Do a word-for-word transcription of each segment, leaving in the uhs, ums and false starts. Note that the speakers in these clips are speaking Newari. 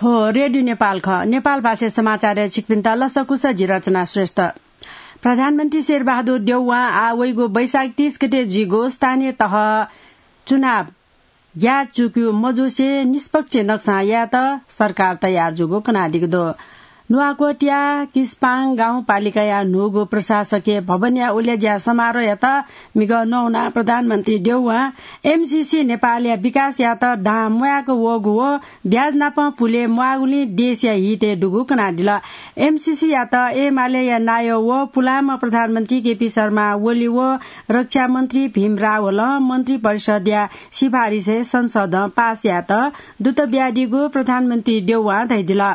थ्व रेडियो नेपाल खः। नेपाल भाषा समाचारय् छिकपिन्त लसकुस, जि रचना श्रेष्ठ। प्रधानमन्त्री शेरबहादुर देउवां आः वइगु वैशाख तीस गते जुइगु स्थानीय तह चुनाव ग्याःचुकयु मजुसे निष्पक्ष नक्सां यायेत सरकार तयार जूगु कनादीगु दु। नुवाकोटया किस्पाङ गाउँपालिकाया न्हूगु प्रशासकीय भवनया उलेज्या समारोहयात म्हिगः नौ ना प्रधानमन्त्री देउवां एमसीसी नेपालया विकासयात दां म्वायेक वःगु व ब्याज नाप पुले म्वाःगुलिं देशया हितय् दुगु कनादिल। एमसीसीयात एमालेया नायः व पुलांम्ह प्रधानमन्त्री केपी शर्मा ओली व रक्षा मन्त्री भीम रावलं मन्त्री परिषदया सिफारिसय् संसदं पास यायेत दुत बियादीगु प्रधानमन्त्री देउवां धयादिल।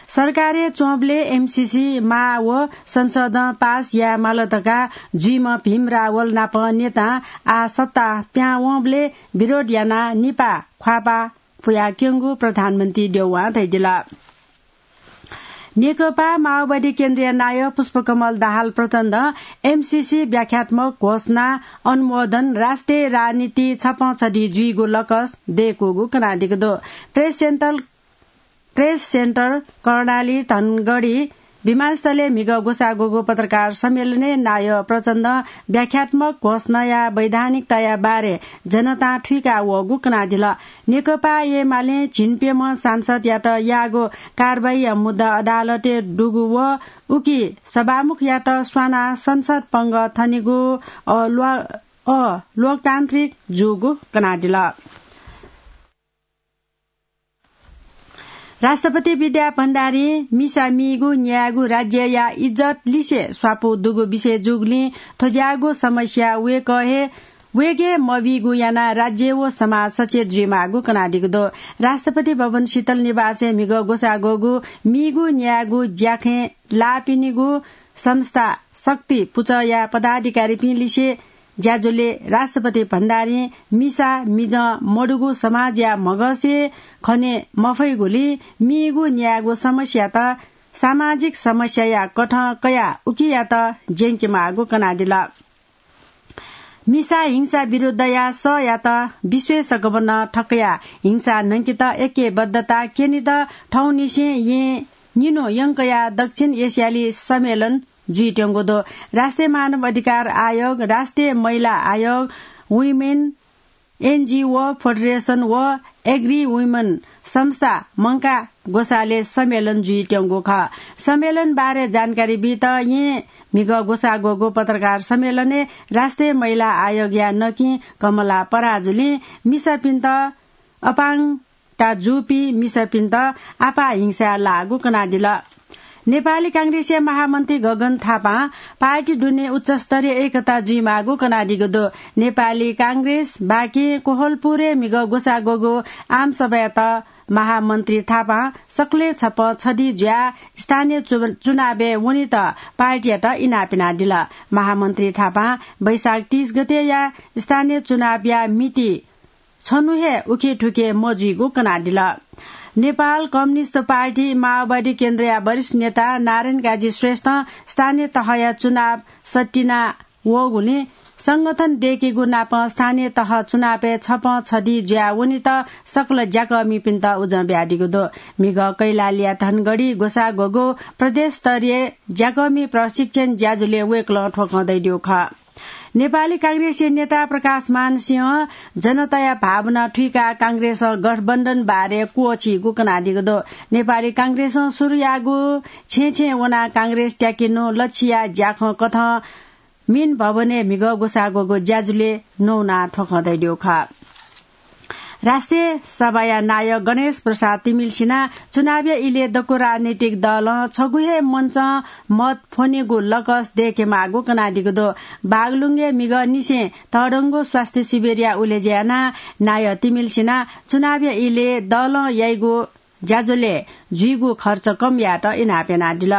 सरकारय् च्वंबलय् एमसीसी माः व संसदं पास याये माल धकाः जुइम्ह भीम रावल नाप नेतां आः सत्ता प्यां वंबलय् विरोध यानाः निपा ख्वाःपाः पुयाक्यंगु प्रधानमन्त्री देउवां धयादिल। नेकपा माओवादी केन्द्रीय नायः पुष्पकमल दाहाल प्रचण्डं एमसीसी व्याख्यात्मक घोषणा अनुमोदन राष्ट्रिय राजनीति छपं छधी जुइगु लकस दय्कूगु कनादीगु दु। Press centre, press centre Karnali Dhangadhi विमानस्थलय् म्हिगः ग्वसाः ग्वःगु पत्रकार सम्मेलनय् नायः प्रचण्डं व्याख्यात्मक घोषणाया वैधानिकताया बारे जनतां थुइका वःगु कनादिल। नेकपा एमालें झिंप्यम्ह सांसदयात याःगु कारवाहीया मुद्दा अदालतय् दुगु व उकी सभामुखयात स्वानाः संसद पंगः थनेगु अ, ल्वा-, अ, लोकतान्त्रिक जूगु कनादिल। राष्ट्रपति विद्या भण्डारीं मिसा मीगु न्यायेगु राज्यया इज्जत लिसे स्वापू दुगु विषय जूगुलिं थ्व ज्याःगु समस्या वय्कः हे, वय्कः हे मबीगु यानाः राज्य व समाज सचेत जुइमाःगु कनादीगु दु। राष्ट्रपति भवन शीतल निवासय् म्हिगः ग्वसाः ग्वःगु मीगु न्यायेगु ज्याखँय् लाःपिनिगु संस्था शक्ति पुचःया पदाधिकारीपिं लिसे ज्याझ्वलय् राष्ट्रपति भण्डारीं मिसा मिजं मदुगु समाजया म्हगसय् खने मफइगुलिं मीगु न्यायेगु समस्यात सामाजिक समस्याया कथं कयाः उकियात ज्यंकेमाःगु कनादिल। मिसा हिंसा विरुद्धया सःयात विश्वय् सकभनं थकया हिंसा न्हंकेत ऐक्यबद्धता क्यनेत थौंनिसें येँ निन्हु यंकया दक्षिण एसियाली सम्मेलन जुइत्यंगु दु। राष्ट्रिय मानव अधिकार आयोग, राष्ट्रिय महिला आयोग, Women NGO Federation व Agri Women संस्था मंकाः ग्वसालय् सम्मेलन जुइत्यंगु खः। सम्मेलन बारे जानकारी बीत येँ म्हिगः ग्वसाः ग्वःगु पत्रकार सम्मेलनय् राष्ट्रिय महिला आयोगया नकिं कमला पराजुलिं मिसापिन्त अपाङ्गता जूपिं मिसापिन्त आपाः हिंसाय् लाःगु कनादिल। नेपाली कांग्रेसया महामन्त्री गगन थापां पार्टी दुने उच्चस्तरीय एकता जुइमाःगु कनादीगु दु। नेपाली कांग्रेस बाकिं कोहलपुरय् म्हिगः ग्वसाः ग्वःगु आमसभायात महामन्त्री थापां सकलें छपं छधी जुयाः स्थानीय चु-, चुनावय् वनेत पार्टीयात इनाप यानादिल। महामन्त्री थापां वैशाख तीस गतेया स्थानीय चुनावया मिति छन्हु हे उखेथुखे मजुइगु कनादिल। नेपाल कम्युनिस्ट पार्टी माओवादी केन्द्रया वरिष्ठ नेता नारायण काजी श्रेष्ठं स्थानीय तहया चुनाव सतिना वःगुलिं संगठन दय्केगु नापं स्थानीय तह चुनावय् छपं छधी जुयाः वनेत सकल ज्याकःमिपिन्त उजं बियादीगु दु। म्हिगः कैलालीया धनगढी ग्वसाः ग्वःगु प्रदेश स्तरीय ज्याकःमि प्रशिक्षण ज्याझ्वलय् वय्कलं थ्व खँ धयादीगु खः। नेपाली कांग्रेसया नेता प्रकाशमान सिंहं जनताया भावना थुइकाः कांग्रेसं गठबन्धन बारे क्वःछीगु कनादीगु दु। नेपाली कांग्रेसं सुरु याःगु छेँय् छेँय् वनाः कांग्रेस त्याकेनु लच्छिया ज्याखँ कथं मिन भवनय् म्हिगः ग्वसाः ग्वःगु ज्याझ्वलय् नवानाः थ्व खँ धयादीगु खः। राष्ट्रिय सभाया नायः गणेश प्रसाद तिमिल्सिनां चुनावया इलय् दक्व राजनैतिक दलं छगू हे मञ्चं मत फ्वनेगु लकस दय्केमाःगु कनादीगु दु। बागलुङय् म्हिगः निसें तःधंगु स्वास्थ्य शिविरया उलेज्या यानाः नायः तिमिल्सिनां चुनावया इलय् दलं याइगु ज्याझ्वलय् जुइगु खर्च कम यायेत इनाप यानादिल।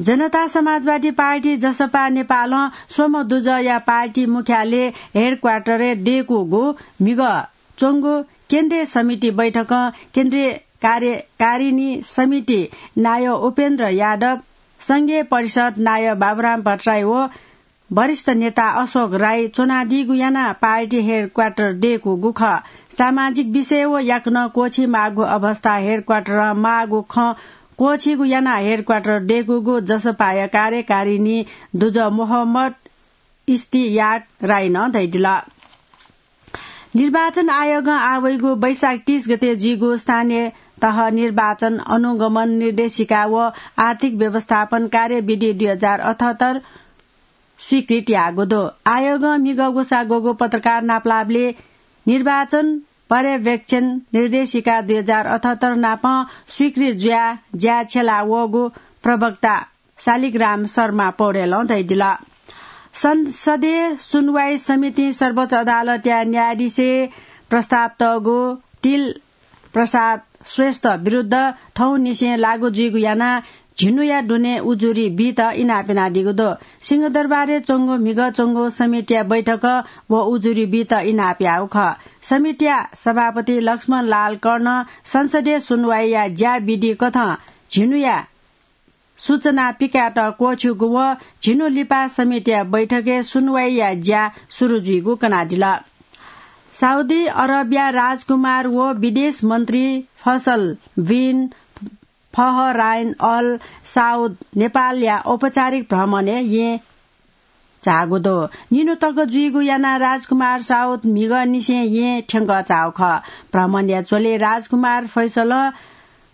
जनता समाजवादी पार्टी, जसपा, नेपालं स्वम्ह दुजःया पार्टी मुख्यालय हेडक्वार्टरय् दय्कूगु म्हिगः च्वंगु केन्द्रीय समिति बैठकं केन्द्रीय कार्यकारिणी समिति नायः उपेन्द्र यादव, संघीय परिषद नायः बाबुराम भट्टराई व वरिष्ठ नेता अशोक राई च्वनादीगु यानाः पार्टी हेडक्वार्टर दय्कूगु खः। सामाजिक विषय व याकनं क्वःछी माःगु अवस्था हेडक्वार्टरं माःगु खँ क्वःछीगु यानाः हेडक्वार्टर दय्कूगु जसपाया कार्यकारिणी दुजः मोहम्मद इस्तियाक राईनं धयादिल। निर्वाचन आयोगं आः वइगु वैशाख तीस गते जुइगु स्थानीय तह निर्वाचन अनुगमन निर्देशिका व आर्थिक व्यवस्थापन कार्यविधि दुई हजार अठहत्तर स्वीकृत याःगु दु। आयोगं म्हिगः ग्वसाः ग्वःगु पत्रकार नापलाःबलय् निर्वाचन पर्यवेक्षण निर्देशिका दुई हजार अठहत्तर नापं स्वीकृत जुयाः ज्या छ्यला वःगु प्रवक्ता शालिग्राम शर्मा पौडेलं धयादिल। संसदीय सुनवाई समितिं सर्वोच्च अदालतया न्यायाधीशया प्रस्ताव तःगु तिल प्रसाद श्रेष्ठ विरुद्ध थौंनिसें लागू जुइगु यानाः झिन्हुया दुने उजुरी बीत इनाप यानादीगु दु। सिंहदरबारय् च्वंगु म्हिगः च्वंगु समितिया बैठकं व उजुरी बीत इनाप याःगु खः। समितिया सभापति लक्ष्मण लाल कर्णं संसदीय सुनवाईया ज्या विधि कथं झिन्हुया सूचना पिकायेत क्वःछिउगु व झिन्हु लिपा समितिया बैठकय् सुनवाईया ज्या सुरु जुइगु कनादिल। साउदी अरबया राजकुमार व विदेश मन्त्री फैसल बिन फहराइन अल साउद नेपालया औपचारिक भ्रमणय् येँ झाःगु दु। निन्हु तक जुइगु यानाः राजकुमार साउद म्हिगःनिसें येँ थ्यंकः झाःगु खः। भ्रमणया झ्वलय् राजकुमार फैसलं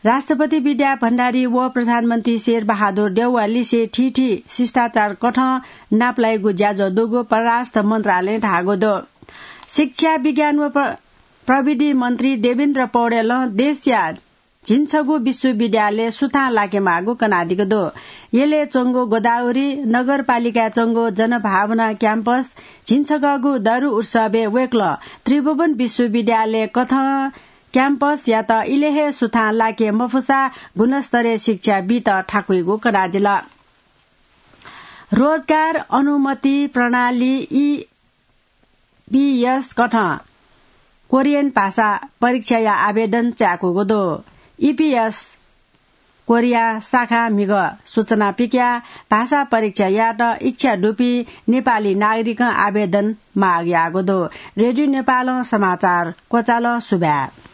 राष्ट्रपति विद्या भण्डारी व प्रधानमन्त्री शेर बहादुर देउवालिसे थीथी शिष्टाचार कथं नापलाइगु ज्याझ्वः दुगु परराष्ट्र मन्त्रालयं धाःगु दु। शिक्षा, विज्ञान व प्र-, प्रविधि मन्त्री देवेन्द्र पौडेलं देशया झिंछगू विश्वविद्यालय सुथां लाकेमाःगु कनादीगु दु। यलय् च्वंगु गोदावरी नगरपालिकाय् च्वंगु जनभावना क्याम्पस झिंछगःगु दरु उत्सवय् वय्कलं त्रिभुवन विश्वविद्यालय कथं क्याम्पसयात इलय् हे सुथां लाके मफुसा गुणस्तरीय शिक्षा बीत थाकुइगु कनादिल। रोजगार अनुमति प्रणाली, ई पीएस कथं कोरियन भाषा परीक्षाया आवेदन चाय्कूगु दु। ईपीएस कोरिया शाखां म्हिगः सूचना पिकयाः भाषा परीक्षा यायेत इच्छा दुपिं नेपाली नागरिकं आवेदन माग याःगु दु। रेडियो नेपालं समाचार क्वचाल। सुभाय्।